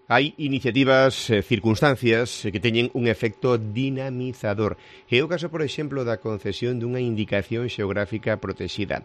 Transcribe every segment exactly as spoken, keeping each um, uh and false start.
Hai iniciativas, eh, circunstancias que teñen un efecto dinamizador. É o caso, por exemplo, da concesión dunha indicación xeográfica protexida.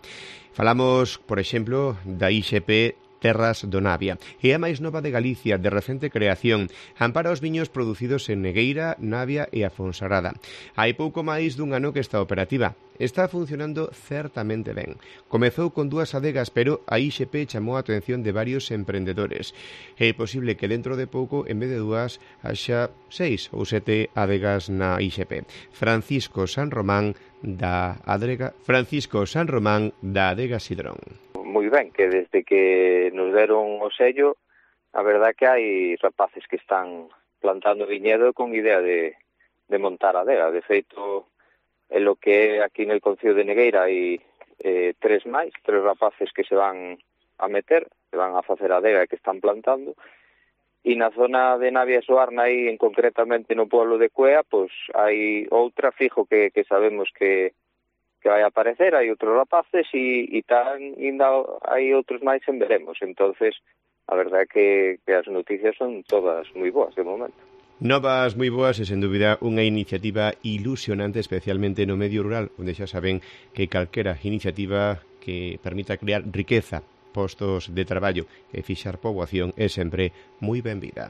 Falamos, por exemplo, da I X P Terras do Navia. É a máis nova de Galicia, de recente creación. Ampara os viños producidos en Negueira, Navia e a Fonsagrada. Hai pouco máis dun ano que está operativa. Está funcionando certamente ben. Comezou con dúas adegas, pero a I X P chamou a atención de varios emprendedores. É posible que dentro de pouco, en vez de dúas, haxa seis ou sete adegas na I X P. Francisco San Román da Adega Francisco San Román da Adega Sidrón. Moi ben, que desde que nos deron o sello, a verdad que hai rapaces que están plantando viñedo con idea de, de montar adega. De feito, en lo que é aquí no Concello de Negueira hai eh, tres máis, tres rapaces que se van a meter, que van a facer adega e que están plantando. E na zona de Navia e Soarna, aí en concretamente no pueblo de Cuea, pois hai outra fijo que, que sabemos que que vai a aparecer, hai outros rapaces e, e tan, ainda hai outros máis en veremos. Entonces, a verdade é que, que as noticias son todas moi boas de momento. Novas moi boas e, sen dúbida, unha iniciativa ilusionante, especialmente no medio rural, onde xa saben que calquera iniciativa que permita crear riqueza, postos de traballo e fixar poboación é sempre moi benvida.